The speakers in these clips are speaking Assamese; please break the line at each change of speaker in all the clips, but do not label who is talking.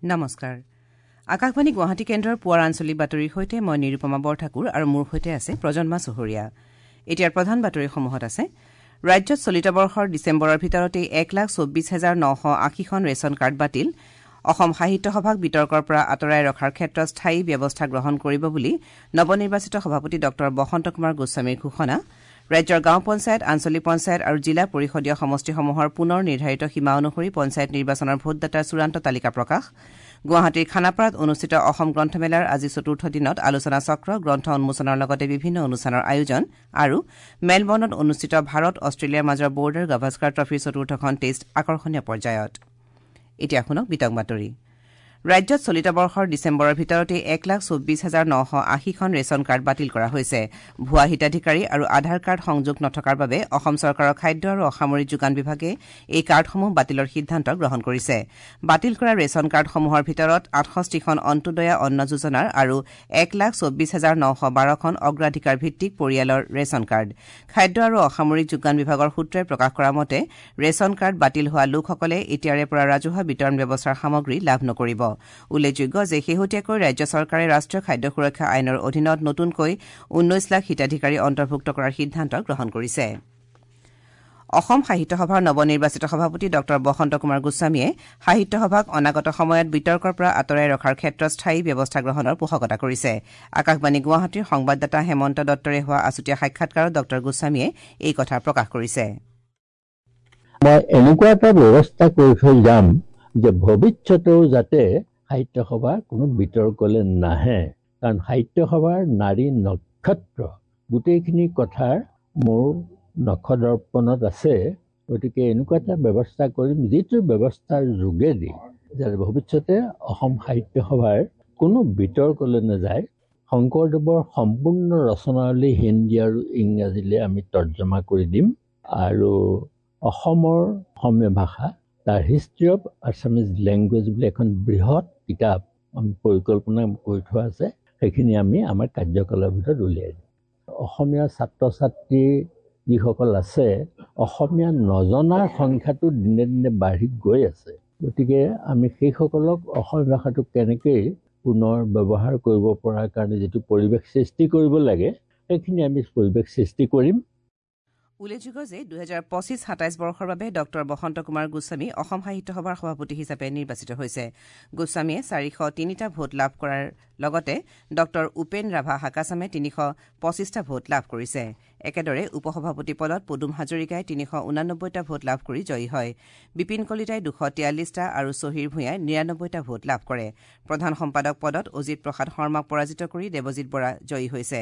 নমস্কাৰ, আকাশবাণী গুৱাহাটী কেন্দ্ৰৰ পুৱাৰ আঞ্চলিক বাতৰিৰ সৈতে মই নিৰুপমা বৰঠাকুৰ আৰু মোৰ সৈতে আছে প্ৰজন্মা চহৰীয়া। এতিয়াৰ প্ৰধান বাতৰিসমূহত আছে: ৰাজ্যত চলিত বৰ্ষৰ ডিচেম্বৰৰ ভিতৰতেই 1,24,980খন ৰেচন কাৰ্ড বাতিল। অসম সাহিত্য সভাক বিতৰ্কৰ পৰা আঁতৰাই ৰখাৰ ক্ষেত্ৰত স্থায়ী ব্যৱস্থা গ্ৰহণ কৰিব বুলি নৱনিৰ্বাচিত সভাপতি ডঃ বসন্ত কুমাৰ গোস্বামীৰ ঘোষণা। ৰাজ্যৰ গাঁও পঞ্চায়ত, আঞ্চলিক পঞ্চায়ত আৰু জিলা পৰিষদীয় সমষ্টিসমূহৰ পুনৰ নিৰ্ধাৰিত সীমা অনুসৰি পঞ্চায়ত নিৰ্বাচনৰ ভোটদাতাৰ চূড়ান্ত তালিকা প্ৰকাশ। গুৱাহাটীৰ খানাপাৰাত অনুষ্ঠিত অসম গ্ৰন্থমেলাৰ আজি চতুৰ্থ দিনত আলোচনা চক্ৰ, গ্ৰন্থ উন্মোচনৰ লগতে বিভিন্ন অনুষ্ঠানৰ আয়োজন। আৰু মেলবৰ্ণত অনুষ্ঠিত ভাৰত অষ্ট্ৰেলিয়াৰ মাজৰ বৰ্ডাৰ গাভাস্কাৰ ট্ৰফীৰ চতুৰ্থখন টেষ্ট আকৰ্ষণীয় পৰ্যায়ত। এতিয়া শুনক বিতং বাতৰি। ৰাজ্যত চলিত বৰ্ষৰ ডিচেম্বৰৰ ভিতৰতেই 1,24,980খন ৰেচন কাৰ্ড বাতিল কৰা হৈছে। ভুৱা হিতাধিকাৰী আৰু আধাৰ কাৰ্ড সংযোগ নথকাৰ বাবে অসম চৰকাৰৰ খাদ্য আৰু অসামৰিক যোগান বিভাগে এই কাৰ্ডসমূহ বাতিলৰ সিদ্ধান্ত গ্ৰহণ কৰিছে। বাতিল কৰা ৰেচন কাৰ্ডসমূহৰ ভিতৰত 68খন অন্ত্যোদয়া অন্ন যোজনাৰ আৰু 1,24,912খন অগ্ৰাধিকাৰ ভিত্তিক পৰিয়ালৰ ৰেচন কাৰ্ড। খাদ্য আৰু অসামৰিক যোগান বিভাগৰ সূত্ৰই প্ৰকাশ কৰা মতে ৰেচন কাৰ্ড বাতিল হোৱা লোকসকলে এতিয়াৰে পৰা ৰাজহুৱা বিতৰণ ব্যৱস্থাৰ সামগ্ৰী লাভ নকৰিব। উল্লেখযোগ্য যে শেহতীয়াকৈ ৰাজ্য চৰকাৰে ৰাষ্ট্ৰীয় খাদ্য সুৰক্ষা আইনৰ অধীনত নতুনকৈ 19 লাখ হিতাধিকাৰী অন্তৰ্ভুক্ত কৰাৰ সিদ্ধান্ত গ্ৰহণ কৰিছে। অসম সাহিত্য সভাৰ নৱনিৰ্বাচিত সভাপতি ডঃ বসন্ত কুমাৰ গোস্বামীয়ে সাহিত্য সভাক অনাগত সময়ত বিতৰ্কৰ পৰা আঁতৰাই ৰখাৰ ক্ষেত্ৰত স্থায়ী ব্যৱস্থা গ্ৰহণৰ পোষকতা কৰিছে। আকাশবাণী গুৱাহাটীৰ সংবাদদাতা হেমন্ত দত্তৰে হোৱা আছুতীয়া সাক্ষাৎকাৰত ডঃ গোস্বামীয়ে এই কথা প্ৰকাশ কৰিছে।
মই এনেকুৱা এটা ব্যৱস্থা কৰি থৈ যাম যে ভৱিষ্যতেও যাতে সাহিত্য সভাৰ কোনো বিতৰ্কলৈ নাহে, কাৰণ সাহিত্য সভাৰ নাৰী নক্ষত্ৰ গোটেইখিনি কথাৰ মোৰ নখদৰ্পণত আছে। গতিকে এনেকুৱা এটা ব্যৱস্থা কৰিম যিটো ব্যৱস্থাৰ যোগেদি যাতে ভৱিষ্যতে অসম সাহিত্য সভাৰ কোনো বিতৰ্কলৈ নাযায়। শংকৰদেৱৰ সম্পূৰ্ণ ৰচনাৱলী হিন্দী আৰু ইংৰাজীলৈ আমি তৰ্জমা কৰি দিম আৰু অসমৰ অসমীয়া ভাষা তাৰ হিষ্ট্ৰী অফ আছামিজ লেংগুৱেজ বুলি এখন বৃহৎ কিতাপ আমি পৰিকল্পনা কৰি থোৱা আছে, সেইখিনি আমি আমাৰ কাৰ্যকালৰ ভিতৰত উলিয়াই দিম। অসমীয়া ছাত্ৰ ছাত্ৰী যিসকল আছে, অসমীয়া নজনাৰ সংখ্যাটো দিনে দিনে বাঢ়ি গৈ আছে। গতিকে আমি সেইসকলক অসমীয়া ভাষাটো কেনেকৈ পুনৰ ব্যৱহাৰ কৰিব পৰাৰ কাৰণে যিটো পৰিৱেশ সৃষ্টি কৰিব লাগে, সেইখিনি আমি পৰিৱেশ সৃষ্টি কৰিম।
উল্লেখযোগ্য যে 2025-27 বৰ্ষৰ বাবে ডঃ বসন্ত কুমাৰ গোস্বামী অসম সাহিত্য সভাৰ সভাপতি হিচাপে নিৰ্বাচিত হৈছে। গোস্বামীয়ে 403টা ভোট লাভ কৰাৰ লগতে ডঃ উপেন ৰাভা হাকাচামে 325টা ভোট লাভ কৰিছে। একেদৰে উপসভাপতি পদত পদুম হাজৰিকাই 389টা ভোট লাভ কৰি জয়ী হয়। বিপিন কলিতাই 243টা আৰু চহিৰ ভূঞাই 99টা ভোট লাভ কৰে। প্ৰধান সম্পাদক পদত অজিত প্ৰসাদ শৰ্মাক পৰাজিত কৰি দেৱজিৎ বৰা জয়ী হৈছে।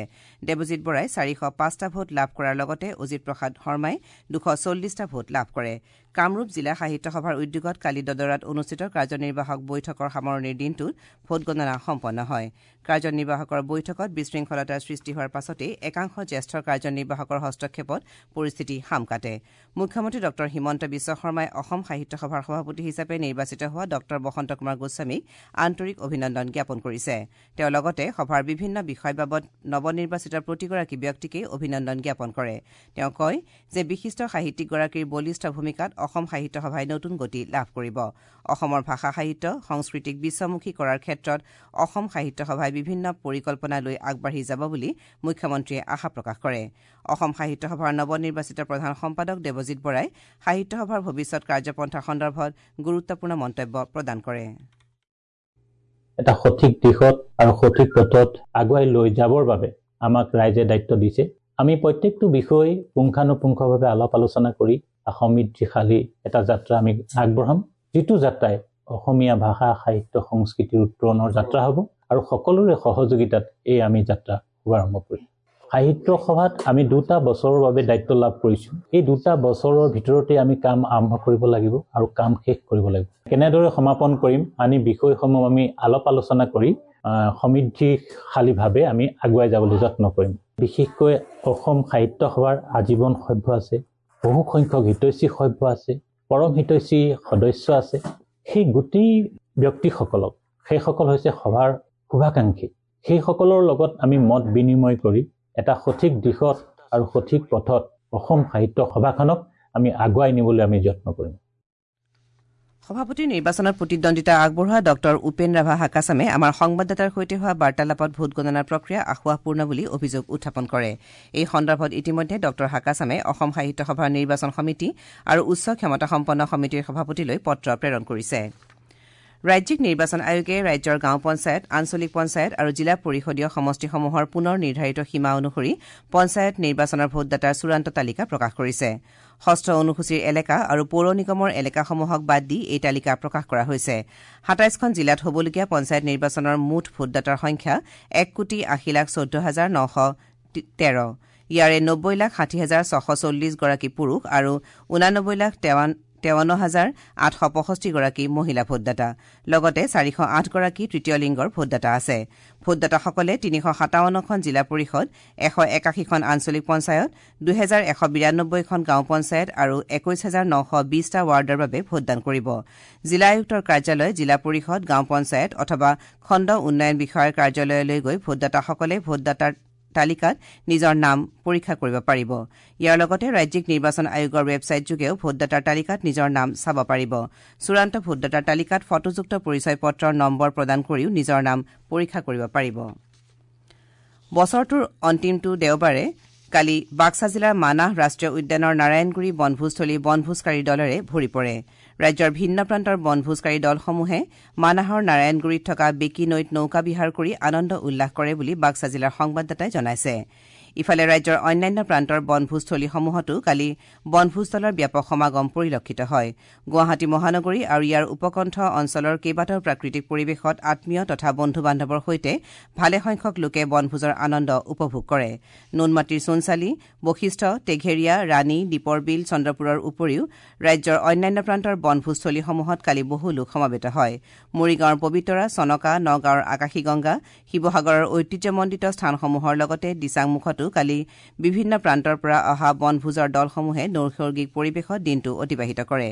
দেৱজিৎ বৰাই 405টা ভোট লাভ কৰাৰ লগতে অজিত প্ৰসাদ শৰ্মাই 240টা ভোট লাভ কৰে। কামৰূপ জিলা সাহিত্য সভাৰ উদ্যোগত কালি দদৰাত অনুষ্ঠিত কাৰ্যনিৰ্বাহক বৈঠকৰ সামৰণিৰ দিনটোত ভোটগণনা সম্পন্ন হয়। কাৰ্যনিৰ্বাহকৰ বৈঠকত বিশৃংখলতাৰ সৃষ্টি হোৱাৰ পাছতেই একাংশ জ্যেষ্ঠ কাৰ্যনিৰ্বাহকৰ হস্তক্ষেপত পৰিস্থিতি শাম কাটে। মুখ্যমন্ত্ৰী ডঃ হিমন্ত বিশ্ব শৰ্মাই অসম সাহিত্য সভাৰ সভাপতি হিচাপে নিৰ্বাচিত হোৱা ডঃ বসন্ত কুমাৰ গোস্বামীক আন্তৰিক অভিনন্দন জ্ঞাপন কৰিছে। তেওঁ লগতে সভাৰ বিভিন্ন বিষয় বাবদ নৱনিৰ্বাচিত প্ৰতিগৰাকী ব্যক্তিকেই অভিনন্দন জ্ঞাপন কৰে। তেওঁ কয় যে বিশিষ্ট সাহিত্যিকগৰাকীৰ বলিষ্ঠ ভূমিকাত অসম সাহিত্য সভাই নতুন গতি লাভ কৰিব। অসমৰ ভাষা সাহিত্য সংস্কৃতিক বিশ্বমুখী কৰাৰ ক্ষেত্ৰত অসম সাহিত্য সভাই বিভিন্ন পৰিকল্পনা লৈ আগবাঢ়ি যাব বুলি মুখ্যমন্ত্ৰীয়ে আশা প্ৰকাশ কৰে। অসম সাহিত্য সভাৰ নৱনিৰ্বাচিত প্ৰধান সম্পাদক দেৱজিৎ বৰাই সাহিত্য সভাৰ ভৱিষ্যত কাৰ্যপন্থা সন্দৰ্ভত গুৰুত্বপূৰ্ণ মন্তব্য প্ৰদান কৰে।
এটা সঠিক দিশত আৰু সঠিক পথত আগুৱাই লৈ যাবৰ বাবে আমাক ৰাইজে দায়িত্ব দিছে। আমি প্ৰত্যেকটো বিষয় পুংখানুপুংখভাৱে আলাপ আলোচনা কৰি সমৃদ্ধিশালী এটা যাত্ৰা আমি আগবঢ়াম, যিটো যাত্ৰাই অসমীয়া ভাষা সাহিত্য সংস্কৃতিৰ উত্তৰণৰ যাত্ৰা হ'ব আৰু সকলোৰে সহযোগিতাত এই আমি যাত্ৰা শুভাৰম্ভ কৰিম। সাহিত্য সভাত আমি 2টা বছৰৰ বাবে দায়িত্ব লাভ কৰিছোঁ। এই 2টা বছৰৰ ভিতৰতে আমি কাম আৰম্ভ কৰিব লাগিব আৰু কাম শেষ কৰিব লাগিব। কেনেদৰে সমাপন কৰিম আনি বিষয়সমূহ আমি আলাপ আলোচনা কৰি সমৃদ্ধিশালীভাৱে আমি আগুৱাই যাবলৈ যত্ন কৰিম। বিশেষকৈ অসম সাহিত্য সভাৰ আজীৱন সভ্য আছে, বহু সংখ্যক হিতৈষী সভ্য আছে, পৰম হিতৈষী সদস্য আছে। সেই গোটেই ব্যক্তিসকলক, সেইসকল হৈছে সভাৰ শুভাকাংক্ষী, সেইসকলৰ লগত আমি মত বিনিময় কৰি এটা সঠিক দিশত আৰু সঠিক পথত অসম সাহিত্য সভাখনক আমি আগুৱাই নিবলৈ আমি যত্ন কৰিম।
সভাপতিৰ নিৰ্বাচনত প্ৰতিদ্বন্দ্বিতা আগবঢ়োৱা ডঃ উপেন ৰাভা হাকাচামে আমাৰ সংবাদদাতাৰ সৈতে হোৱা বাৰ্তালাপত ভোটগণনাৰ প্ৰক্ৰিয়া আসোঁৱাহপূৰ্ণ বুলি অভিযোগ উত্থাপন কৰে। এই সন্দৰ্ভত ইতিমধ্যে ডঃ হাকাচামে অসম সাহিত্য সভাৰ নিৰ্বাচন সমিতি আৰু উচ্চ ক্ষমতাসম্পন্ন সমিতিৰ সভাপতিলৈ পত্ৰ প্ৰেৰণ কৰিছে। ৰাজ্যিক নিৰ্বাচন আয়োগে ৰাজ্যৰ গাঁও পঞ্চায়ত, আঞ্চলিক পঞ্চায়ত আৰু জিলা পৰিষদীয় সমষ্টিসমূহৰ পুনৰ নিৰ্ধাৰিত সীমা অনুসৰি পঞ্চায়ত নিৰ্বাচনৰ ভোটদাতাৰ চূড়ান্ত তালিকা প্ৰকাশ কৰিছে। ষষ্ঠ অনুসূচীৰ এলেকা আৰু পৌৰ নিগমৰ এলেকাসমূহক বাদ দি এই তালিকা প্ৰকাশ কৰা হৈছে। ২৭খন জিলাত হ'বলগীয়া পঞ্চায়ত নিৰ্বাচনৰ মুঠ ভোটদাতাৰ সংখ্যা ১,৮০,১৪,৯১৩। ইয়াৰে ৯০,৬০,৬৪০ গৰাকী পুৰুষ আৰু ৮৯,৫৩,৮৬৫ গৰাকী মহিলা ভোটদাতা। লগতে ৪০৮ গৰাকী তৃতীয় লিংগৰ ভোটদাতা আছে। ভোটদাতাসকলে ৩৫৭খন জিলা পৰিষদ, ১৮১খন আঞ্চলিক পঞ্চায়ত, ২১৯২খন গাঁও পঞ্চায়ত আৰু ২১,৯২০টা ৱাৰ্ডৰ বাবে ভোটদান কৰিব। জিলা আয়ুক্তৰ কাৰ্যালয়, জিলা পৰিষদ, গাঁও পঞ্চায়ত অথবা খণ্ড উন্নয়ন বিষয়াৰ কাৰ্যালয়লৈ গৈ ভোটদাতাসকলে ভোটদাতাৰ তালিকাত নিজৰ নাম পৰীক্ষা কৰিব পাৰিব। ইয়াৰ লগতে ৰাজ্যিক নিৰ্বাচন আয়োগৰ ৱেবছাইট যোগেও ভোটদাতাৰ তালিকাত নিজৰ নাম চাব পাৰিব। চূড়ান্ত ভোটদাতাৰ তালিকাত ফটোযুক্ত পৰিচয় পত্ৰৰ নম্বৰ প্ৰদান কৰিও নিজৰ নাম পৰীক্ষা কৰিব পাৰিব। বছৰটোৰ অন্তিমটো দেওবাৰে কালি বাক্সা জিলাৰ মানাহ ৰাষ্ট্ৰীয় উদ্যানৰ নাৰায়ণগুৰি বনভোজথলী বনভোজকাৰীৰ দলেৰে ভৰি পৰে। ৰাজ্যৰ ভিন্ন প্ৰান্তৰ বনভোজকাৰী দলসমূহে মানাহৰ নাৰায়ণগুৰিত থকা বেকী নৈত নৌকা বিহাৰ কৰি আনন্দ উল্লাস কৰে বুলি বাক্সা জিলাৰ সংবাদদাতাই জনাইছে। ইফালে ৰাজ্যৰ অন্যান্য প্ৰান্তৰ বনভোজথলীসমূহতো কালি বনভোজ দলৰ ব্যাপক সমাগম পৰিলক্ষিত হয়। গুৱাহাটী মহানগৰী আৰু ইয়াৰ উপকণ্ঠ অঞ্চলৰ কেইবাটাও প্ৰাকৃতিক পৰিৱেশত আত্মীয় তথা বন্ধু বান্ধৱৰ সৈতে ভালেসংখ্যক লোকে বনভোজৰ আনন্দ উপভোগ কৰে। নুনমাটিৰ চূণচালি, বশিষ্ঠ, টেঘেৰীয়া, ৰাণী, দীপৰ বিল, চন্দ্ৰপুৰৰ উপৰিও ৰাজ্যৰ অন্যান্য প্ৰান্তৰ বনভোজথলীসমূহত কালি বহু লোক সমবেত হয়। মৰিগাঁৱৰ পবিতৰা, চনকা, নগাঁৱৰ আকাশীগংগা, শিৱসাগৰৰ ঐতিহ্যমণ্ডিত স্থানসমূহৰ লগতে দিচাংমুখতো কালি বিভিন্ন প্ৰান্তৰ পৰা অহা বনভোজৰ দলসমূহে নৈসৰ্গিক পৰিৱেশত দিনটো অতিবাহিত কৰে।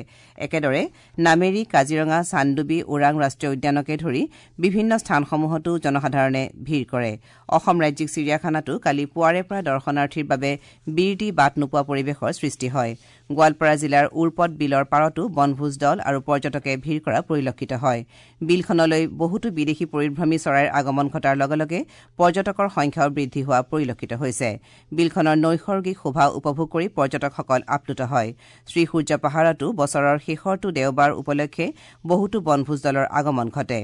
একেদৰে নামেৰী, কাজিৰঙা, চান্দুবি, ওৰাং ৰাষ্ট্ৰীয় উদ্যানকে ধৰি বিভিন্ন স্থানসমূহতো জনসাধাৰণে ভিৰ কৰে। অসম ৰাজ্যিক চিৰিয়াখানাতো কালি পুৱাৰে পৰা দৰ্শনাৰ্থীৰ বাবে বিৰ দি বাট নোপোৱা পৰিৱেশৰ সৃষ্টি হয়। গোৱালপাৰা জিলাৰ উৰপদ বিলৰ পাৰতো বনভোজ দল আৰু পৰ্যটকে ভিৰ কৰা পৰিলক্ষিত হয়। বিলখনলৈ বহুতো বিদেশী পৰিভ্ৰমী চৰাইৰ আগমন ঘটাৰ লগে লগে পৰ্যটকৰ সংখ্যাও বৃদ্ধি হোৱা পৰিলক্ষিত হৈছে। বিলখনৰ নৈসৰ্গিক শোভা উপভোগ কৰি পৰ্যটকসকল আপ্লুত হয়। শ্ৰীসূৰ্য পাহাৰতো বছৰৰ শেষৰটো দেওবাৰ উপলক্ষে বহুতো বনভোজ দলৰ আগমন ঘটে।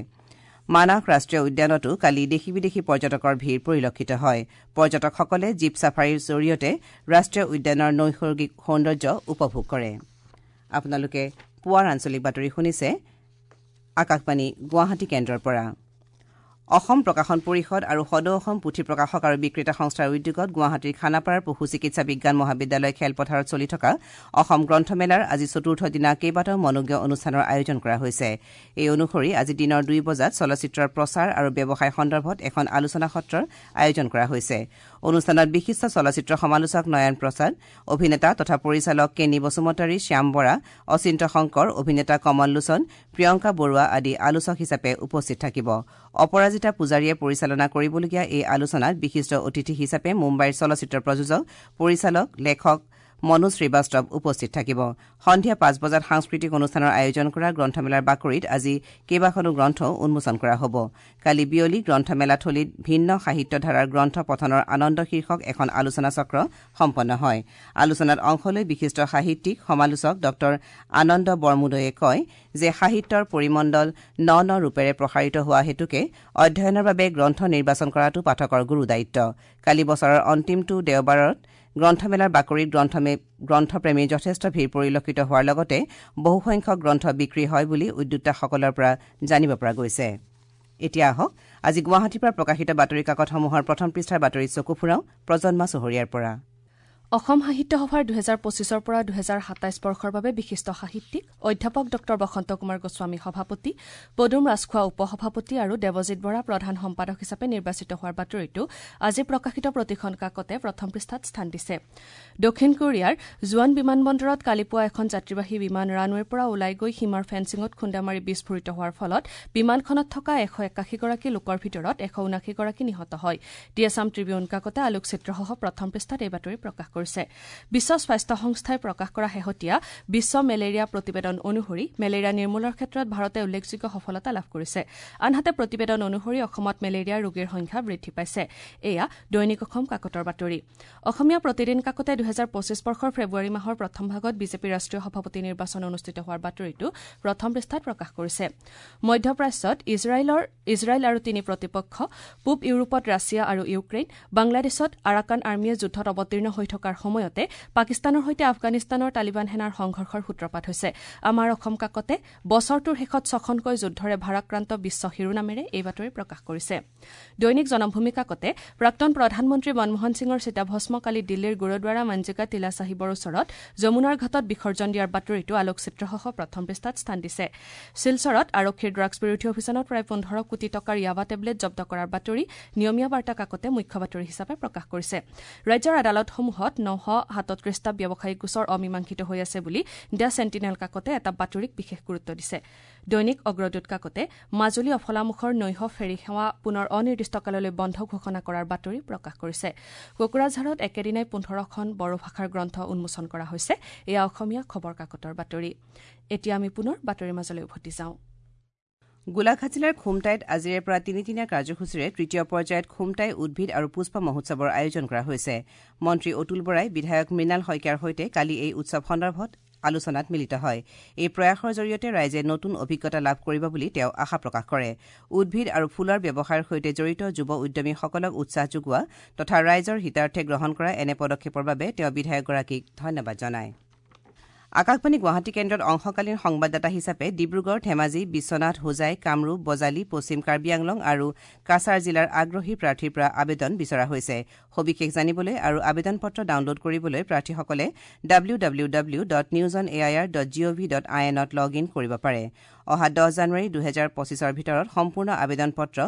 মানাহ ৰাষ্ট্ৰীয় উদ্যানতো কালি দেশী বিদেশী পৰ্যটকৰ ভিৰ পৰিলক্ষিত হয়। পৰ্যটকসকলে জীপ ছাফাৰীৰ জৰিয়তে ৰাষ্ট্ৰীয় উদ্যানৰ নৈসৰ্গিক সৌন্দৰ্য উপভোগ কৰে। আপোনালোকে পুৱাৰ আঞ্চলিক বাতৰি শুনিছে আকাশবাণী গুৱাহাটী কেন্দ্ৰৰ পৰা। অসম প্ৰকাশন পৰিষদ আৰু সদৌ অসম পুথি প্ৰকাশক আৰু বিক্ৰেতা সংস্থাৰ উদ্যোগত গুৱাহাটীৰ খানাপাৰাৰ পশু চিকিৎসা বিজ্ঞান মহাবিদ্যালয় খেলপথাৰত চলি থকা অসম গ্ৰন্থমেলাৰ আজি চতুৰ্থ দিনা কেইবাটাও মনোজ্ঞ অনুষ্ঠানৰ আয়োজন কৰা হৈছে। এই অনুসৰি আজি দিনৰ ২ বজাত চলচ্চিত্ৰৰ প্ৰচাৰ আৰু ব্যৱসায় সন্দৰ্ভত এখন আলোচনা সত্ৰৰ আয়োজন কৰা হৈছে। অনুষ্ঠানত বিশিষ্ট চলচ্চিত্ৰ সমালোচক নয়ন প্ৰসাদ, অভিনেতা তথা পৰিচালক কেনি বসুমতাৰী, শ্যাম বৰা, অচিন্ত শংকৰ, অভিনেতা কমল লোচন, প্ৰিয়ংকা বৰুৱা আদি আলোচক হিচাপে উপস্থিত থাকিব। অপৰাজিতা পূজাৰীয়ে পৰিচালনা কৰিবলগীয়া এই আলোচনাত বিশিষ্ট অতিথি হিচাপে মুম্বাইৰ চলচ্চিত্ৰ প্ৰযোজক, পৰিচালক, লেখক মনোজ শ্ৰীবাস্তৱ উপস্থিত থাকিব। সন্ধিয়া ৫ বজাত সাংস্কৃতিক অনুষ্ঠানৰ আয়োজন কৰা গ্ৰন্থমেলাৰ বাকৰিত আজি কেইবাখনো গ্ৰন্থও উন্মোচন কৰা হ'ব। কালি বিয়লি গ্ৰন্থমেলাথলীত ভিন্ন সাহিত্য ধাৰাৰ গ্ৰন্থ পঠনৰ আনন্দ শীৰ্ষক এখন আলোচনা চক্ৰ সম্পন্ন হয়। আলোচনাত অংশ লৈ বিশিষ্ট সাহিত্যিক সমালোচক ডঃ আনন্দ বৰমুদৈয়ে কয় যে সাহিত্যৰ পৰিমণ্ডল ন ন ৰূপেৰে প্ৰসাৰিত হোৱা হেতুকে অধ্যয়নৰ বাবে গ্ৰন্থ নিৰ্বাচন কৰাটো পাঠকৰ গুৰু দায়িত্ব। কালি বছৰৰ অন্তিমটো দেওবাৰত গ্ৰন্থমেলাৰ বাকৰিত গ্ৰন্থপ্ৰেমীৰ যথেষ্ট ভিৰ পৰিলক্ষিত হোৱাৰ লগতে বহুসংখ্যক গ্ৰন্থ বিক্ৰী হয় বুলি উদ্যোক্তাসকলৰ পৰা জানিব পৰা গৈছে। এতিয়া আহক আজি গুৱাহাটীৰ পৰা প্ৰকাশিত বাতৰি কাকতসমূহৰ প্ৰথম পৃষ্ঠাৰ বাতৰিত চকু ফুৰাওঁ প্ৰজন্মা চহৰীয়াৰ পৰা।
অসম সাহিত্য সভাৰ ২০২৫ৰ পৰা ২০২৭ বৰ্ষৰ বাবে বিশিষ্ট সাহিত্যিক অধ্যাপক ডঃ বসন্ত কুমাৰ গোস্বামী সভাপতি, পদুম ৰাজখোৱা উপ-সভাপতি আৰু দেৱজিৎ বৰা প্ৰধান সম্পাদক হিচাপে নিৰ্বাচিত হোৱাৰ বাতৰিটো আজি প্ৰকাশিত প্ৰতিখন কাকতে প্ৰথম পৃষ্ঠাত স্থান দিছে। দক্ষিণ কোৰিয়াৰ জোৱান বিমানবন্দৰত কালি পুৱা এখন যাত্ৰীবাহী বিমান ৰানৱেৰ পৰা ওলাই গৈ সীমাৰ ফেন্সিঙত খুন্দা মাৰি বিস্ফোৰিত হোৱাৰ ফলত বিমানখনত থকা ১৮১গৰাকী লোকৰ ভিতৰত ১৭৯গৰাকী নিহত হয়। দি আছাম ট্ৰিবিউন কাকতে আলোকচিত্ৰসহ প্ৰথম পৃষ্ঠাত এই বাতৰি প্ৰকাশ কৰিছে। কৰিছে। বিশ্ব স্বাস্থ্য সংস্থাই প্ৰকাশ কৰা শেহতীয়া বিশ্ব মেলেৰিয়া প্ৰতিবেদন অনুসৰি মেলেৰিয়া নিৰ্মূলৰ ক্ষেত্ৰত ভাৰতে উল্লেখযোগ্য সফলতা লাভ কৰিছে। আনহাতে প্ৰতিবেদন অনুসৰি অসমত মেলেৰিয়া ৰোগীৰ সংখ্যা বৃদ্ধি পাইছে। এয়া দৈনিক অসম কাকতৰ বাতৰি। অসমীয়া প্ৰতিদিন কাকতে ২০২৫ বৰ্ষৰ ফেব্ৰুৱাৰী মাহৰ প্ৰথম ভাগত বিজেপিৰ ৰাষ্ট্ৰীয় সভাপতি নিৰ্বাচন অনুষ্ঠিত হোৱাৰ বাতৰিটো প্ৰথম পৃষ্ঠাত প্ৰকাশ কৰিছে। মধ্যপ্ৰাচ্যত ইজৰাইল আৰু তিনি প্ৰতিপক্ষ, পূব ইউৰোপত ৰাছিয়া আৰু ইউক্ৰেইন, বাংলাদেশত আৰাকান আৰ্মীয়ে যুদ্ধত অৱতীৰ্ণ হৈ থকাৰ সময়তে পাকিস্তানৰ সৈতে আফগানিস্তানৰ তালিবান সেনাৰ সংঘৰ্ষৰ সূত্ৰপাত হৈছে। আমাৰ অসম কাকতে বছৰটোৰ শেষত ছখনকৈ যুদ্ধৰে ভাৰাক্ৰান্ত বিশ্ব শিৰোনামেৰে এই বাতৰি প্ৰকাশ কৰিছে। দৈনিক জনমভূমি কাকতে প্ৰাক্তন প্ৰধানমন্ত্ৰী মনমোহন সিঙৰ চিতাভস্ম কালি দিল্লীৰ গুৰুদ্বাৰা মঞ্জিকা তিলা চাহিবৰ ওচৰত যমুনাৰ ঘাটত বিসৰ্জন দিয়াৰ বাতৰিটো আলোকচিত্ৰসহ প্ৰথম পৃষ্ঠাত স্থান দিছে। শিলচৰত আৰক্ষীৰ ড্ৰাগছ বিৰোধী অভিযানত প্ৰায় ১৫ কোটি টকাৰ য়াবা টেবলেট জব্দ কৰাৰ বাতৰি নিয়মীয়া বাৰ্তা কাকতে মুখ্য বাতৰি হিচাপে প্ৰকাশ কৰিছে। ৰাজ্যৰ আদালতসমূহত ৯৩৭টা ব্যৱসায়িক গোচৰ অমীমাংসিত হৈ আছে বুলি the sentinel কাকতে এটা বাতৰিক বিশেষ গুৰুত্ব দিছে। দৈনিক অগ্ৰদূত কাকতে মাজুলী অফলামুখৰ নৈশ ফেৰী সেৱা পুনৰ অনিৰ্দিষ্টকাললৈ বন্ধ ঘোষণা কৰাৰ বাতৰি প্ৰকাশ কৰিছে। কোকৰাঝাৰত একেদিনাই ১৫খন বড়ো ভাষাৰ গ্ৰন্থ উন্মোচন কৰা হৈছে। এয়া অসমীয়া খবৰ কাকতৰ বাতৰি। এতিয়া আমি পুনৰ বাতৰিৰ মাজলৈ উভতি যাওঁ।
গোলাঘাট জিলাৰ খুমটাইত আজিৰে পৰা তিনিদিনীয়া কাৰ্যসূচীৰে তৃতীয় পৰ্যায়ত খুমটাই উদ্ভিদ আৰু পুষ্প মহোৎসৱৰ আয়োজন কৰা হৈছে। মন্ত্ৰী অতুল বৰাই বিধায়ক মৃণাল শইকীয়াৰ সৈতে কালি এই উৎসৱ সন্দৰ্ভত আলোচনাত মিলিত হয়। এই প্ৰয়াসৰ জৰিয়তে ৰাইজে নতুন অভিজ্ঞতা লাভ কৰিব বুলি তেওঁ আশা প্ৰকাশ কৰে। উদ্ভিদ আৰু ফুলৰ ব্যৱসায়ৰ সৈতে জড়িত যুৱ উদ্যমীসকলক উৎসাহ যোগোৱা তথা ৰাইজৰ হিতাৰ্থে গ্ৰহণ কৰা এনে পদক্ষেপৰ বাবে তেওঁ বিধায়কগৰাকীক ধন্যবাদ জনায়। আকাশবাণী গুৱাহাটী কেন্দ্ৰত অংশকালীন সংবাদদাতা হিচাপে ডিব্ৰুগড়, ধেমাজি, বিশ্বনাথ, হোজাই, কামৰূপ, বজালী, পশ্চিম কাৰ্বি আংলং আৰু কাছাৰ জিলাৰ আগ্ৰহী প্ৰাৰ্থীৰ পৰা আবেদন বিচৰা হৈছে। সবিশেষ জানিবলৈ আৰু আবেদন পত্ৰ ডাউনলোড কৰিবলৈ প্ৰাৰ্থীসকলে www.newsonair.gov.in লগ ইন কৰিব পাৰে। অহা ১০ জানুৱাৰী ২০২৫ৰ ভিতৰত সম্পূৰ্ণ আবেদন পত্ৰ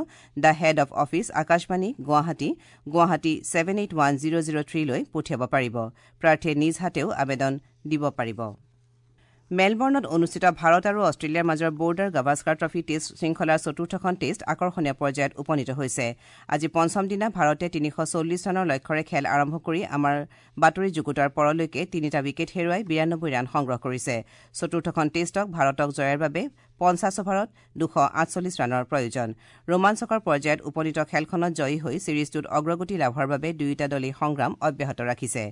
the head of office, Akashvani, Guwahati, Guwahati 781003 লৈ পঠিয়াব পাৰিব। প্ৰাৰ্থীয়ে নিজ হাতেও আবেদন দিব পাৰিব। মেলবৰ্ণত অনুষ্ঠিত ভাৰত আৰু অষ্ট্ৰেলিয়াৰ মাজৰ বৰ্ডাৰ গাভাস্কাৰ ট্ৰফী টেষ্ট শৃংখলাৰ চতুৰ্থখন টেষ্ট আকৰ্ষণীয় পৰ্যায়ত উপনীত হৈছে। আজি পঞ্চম দিনা ভাৰতে ৩৪০ ৰানৰ লক্ষ্যৰে খেল আৰম্ভ কৰি আমাৰ বাতৰি যুগুতাৰ পৰলৈকে ৩টা উইকেট হেৰুৱাই ৯২ ৰান সংগ্ৰহ কৰিছে। চতুৰ্থখন টেষ্টক ভাৰতক জয়ৰ বাবে ৫০ অভাৰত ২৪৮ ৰানৰ প্ৰয়োজন। ৰোমাঞ্চকৰ পৰ্যায়ত উপনীত খেলখনত জয়ী হৈ ছিৰিজটোত অগ্ৰগতি লাভৰ বাবে দুয়োটা দলেই সংগ্ৰাম অব্যাহত ৰাখিছে।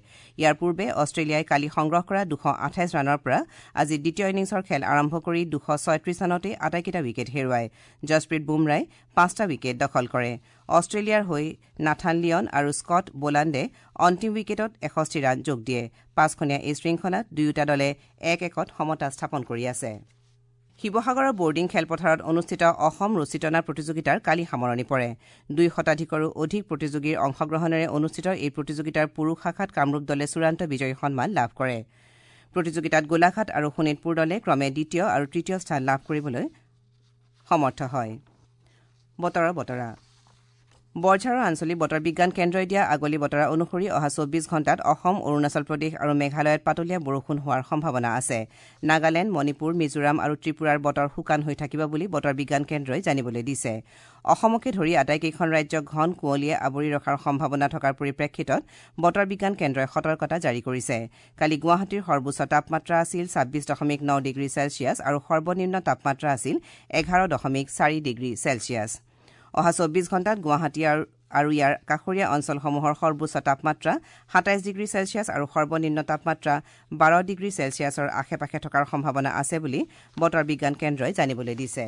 ইয়াৰ পূৰ্বে অষ্ট্ৰেলিয়াই কালি সংগ্ৰহ কৰা ২২৮ ৰানৰ পৰা আজি দ্বিতীয় ইনিংছৰ খেল আৰম্ভ কৰি ২৩৬ ৰানতে আটাইকেইটা উইকেট হেৰুৱায়। জছপ্ৰীত বুমৰাই ৫টা উইকেট দখল কৰে। অষ্ট্ৰেলিয়াৰ হৈ নাথান লিয়ন আৰু স্কট বোলাণ্ডে অন্তিম উইকেটত ৬১ ৰান যোগ দিয়ে। পাঁচখনীয়া এই শৃংখলাত দুয়োটা দলে ১-১ সমতা স্থাপন কৰি আছে। শিৱসাগৰৰ বৰ্ডিং খেলপথাৰত অনুষ্ঠিত অসম ৰছী টনা প্ৰতিযোগিতাৰ কালি সামৰণি পৰে। ২ শতাধিকৰো অধিক প্ৰতিযোগীৰ অংশগ্ৰহণেৰে অনুষ্ঠিত এই প্ৰতিযোগিতাৰ পুৰুষ শাখাত কামৰূপ দলে চূড়ান্ত বিজয়ী সন্মান লাভ কৰে। প্ৰতিযোগিতাত গোলাঘাট আৰু শোণিতপুৰ দলে ক্ৰমে দ্বিতীয় আৰু তৃতীয় স্থান লাভ কৰিবলৈ সমৰ্থ হয়। বতৰৰ বতৰা। বৰঝাৰৰ আঞ্চলিক বতৰ বিজ্ঞান কেন্দ্ৰই দিয়া আগলি বতৰা অনুসৰি অহা ২৪ ঘণ্টাত অসম, অৰুণাচল প্ৰদেশ আৰু মেঘালয়ত পাতলীয়া বৰষুণ হোৱাৰ সম্ভাৱনা আছে। নাগালেণ্ড, মণিপুৰ, মিজোৰাম আৰু ত্ৰিপুৰাৰ বতৰ শুকান হৈ থাকিব বুলি বতৰ বিজ্ঞান কেন্দ্ৰই জানিবলৈ দিছে। অসমকে ধৰি আটাইকেইখন ৰাজ্যক ঘন কুঁৱলীয়ে আৱৰি ৰখাৰ সম্ভাৱনা থকাৰ পৰিপ্ৰেক্ষিতত বতৰ বিজ্ঞান কেন্দ্ৰই সতৰ্কতা জাৰি কৰিছে। কালি গুৱাহাটীৰ সৰ্বোচ্চ তাপমাত্ৰা আছিল ২৬.৯ ডিগ্ৰী চেলছিয়াছ আৰু সৰ্বনিম্ন তাপমাত্ৰা আছিল ১১.৪ ডিগ্ৰী চেলছিয়াছ। অহা ২৪ ঘণ্টাত গুৱাহাটী আৰু ইয়াৰ কাষৰীয়া অঞ্চলসমূহৰ সৰ্বোচ্চ তাপমাত্ৰা ২৭ ডিগ্ৰী চেলছিয়াছ আৰু সৰ্বনিম্ন তাপমাত্ৰা ১২ ডিগ্ৰী চেলছিয়াছৰ আশে পাশে থকাৰ সম্ভাৱনা আছে বুলি বতৰ বিজ্ঞান কেন্দ্ৰই জানিবলৈ দিছে।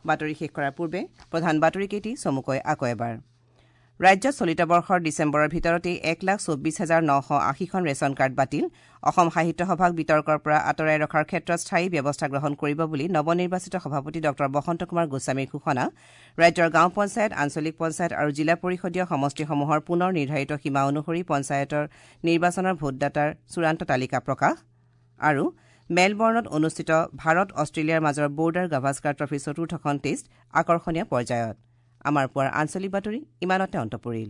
বাতৰি শেষ কৰাৰ পূৰ্বে প্ৰধান বাতৰিকেইটি চমুকৈ আকৌ এবাৰ। ৰাজ্যত চলিত বৰ্ষৰ ডিচেম্বৰৰ ভিতৰতেই ১,২৪,৯৮০খন ৰেচন কাৰ্ড বাতিল। অসম সাহিত্য সভাক বিতৰ্কৰ পৰা আঁতৰাই ৰখাৰ ক্ষেত্ৰত স্থায়ী ব্যৱস্থা গ্ৰহণ কৰিব বুলি নৱনিৰ্বাচিত সভাপতি ডঃ বসন্ত কুমাৰ গোস্বামীৰ ঘোষণা। ৰাজ্যৰ গাঁও পঞ্চায়ত, আঞ্চলিক পঞ্চায়ত আৰু জিলা পৰিষদীয় সমষ্টিসমূহৰ পুনৰ নিৰ্ধাৰিত সীমা অনুসৰি পঞ্চায়তৰ নিৰ্বাচনৰ ভোটদাতাৰ চূড়ান্ত তালিকা প্ৰকাশ। আৰু মেলবৰ্ণত অনুষ্ঠিত ভাৰত অষ্ট্ৰেলিয়াৰ মাজৰ বৰ্ডাৰ গাভাস্কাৰ ট্ৰফীৰ চতুৰ্থখন টেষ্ট আকৰ্ষণীয় পৰ্যায়ত। আমাৰ পুৱাৰ আঞ্চলিক বাতৰি ইমানতে অন্ত পৰিল।